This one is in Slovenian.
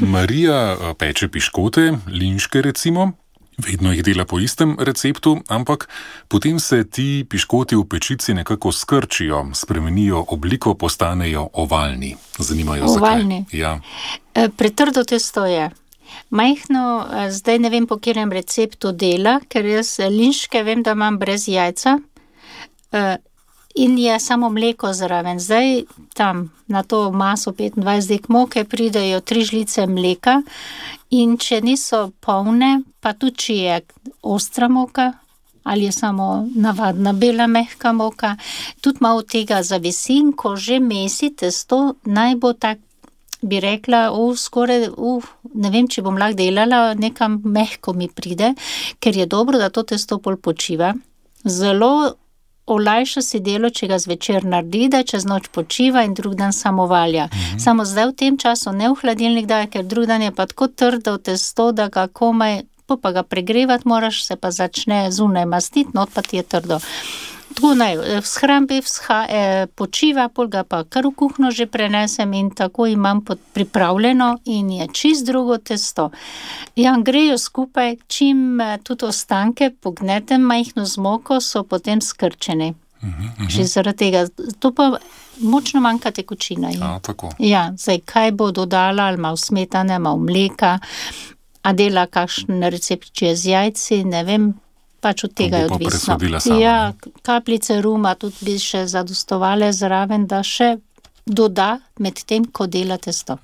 Marija peče piškote, linške recimo, vedno jih dela po istem receptu, ampak potem se ti piškoti v pečici nekako skrčijo, spremenijo obliko, postanejo ovalni. Zanimajo zakaj. Ovalni? Ja. Pretrdo testo je. Majhno, zdaj ne vem, po katerem receptu dela, ker jaz linške vem, da imam brez jajca, in je samo mleko zraven. Zdaj tam na to maso 25 dek moke pridejo 3 žlice mleka in če niso polne, pa tudi če je ostra moka ali je samo navadna bela mehka moka, tudi malo tega zavisi, in ko že mesi testo, naj bo tak, bi rekla, skoraj, ne vem, če bom lahko delala, nekam mehko mi pride, ker je dobro, da to testo pol počiva. Zelo olajša si delo, če ga zvečer naredi, da čez noč počiva in drug dan samo valja. Samo zdaj v tem času ne v hladilnik daje, ker drug dan je pa tako trdo testo, da ga komaj, pa ga pregrevati moraš, se pa začne zunaj mastiti, not pa ti je trdo. Tako naj v shrambi počiva, pol ga pa kar v kuhno že prenesem in tako imam pripravljeno in je čist drugo testo. Ja, grejo skupaj, čim tudi ostanke pognetem majhno z moko, so potem skrčeni. Že zaradi tega. To pa močno manjka tekočina. Tako. Ja, zdaj kaj bo dodala, ali malo smetane, malo mleka, a dela kakšen recept, če je z jajci, ne vem, pač od tega je odvisno. Sama, ja, kapljice ruma tudi bi še zadostovale zraven, da še doda med tem, ko dela testo.